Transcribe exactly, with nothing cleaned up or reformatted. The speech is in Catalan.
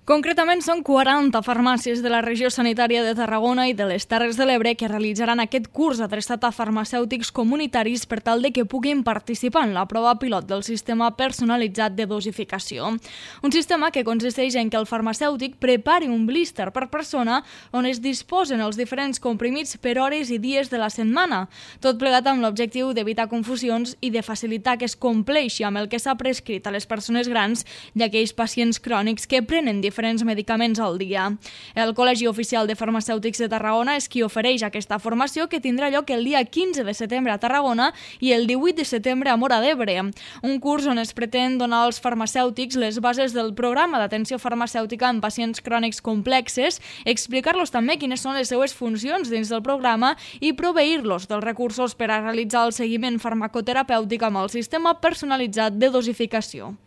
Concretament, són quaranta farmàcies de la regió sanitària de Tarragona i de les Terres de l'Ebre que realitzaran aquest curs adreçat a farmacèutics comunitaris per tal de que puguin participar en la prova pilot del sistema personalitzat de dosificació. Un sistema que consisteix en que el farmacèutic prepari un blister per persona on es disposen els diferents comprimits per hores i dies de la setmana, tot plegat amb l'objectiu d'evitar confusions i de facilitar que es compleixi amb el que s'ha prescrit a les persones grans i aquells pacients crònics que prenen diferents diferents medicaments al dia. El Col·legi Oficial de Farmacèutics de Tarragona és qui ofereix aquesta formació que tindrà lloc el dia quinze de setembre a Tarragona i el divuit de setembre a Móra d'Ebre. Un curs on es pretén donar als farmacèutics les bases del programa d'atenció farmacèutica en pacients crònics complexes, explicar-los també quines són les seues funcions dins del programa i proveir-los dels recursos per a realitzar el seguiment farmacoterapèutic amb el sistema personalitzat de dosificació.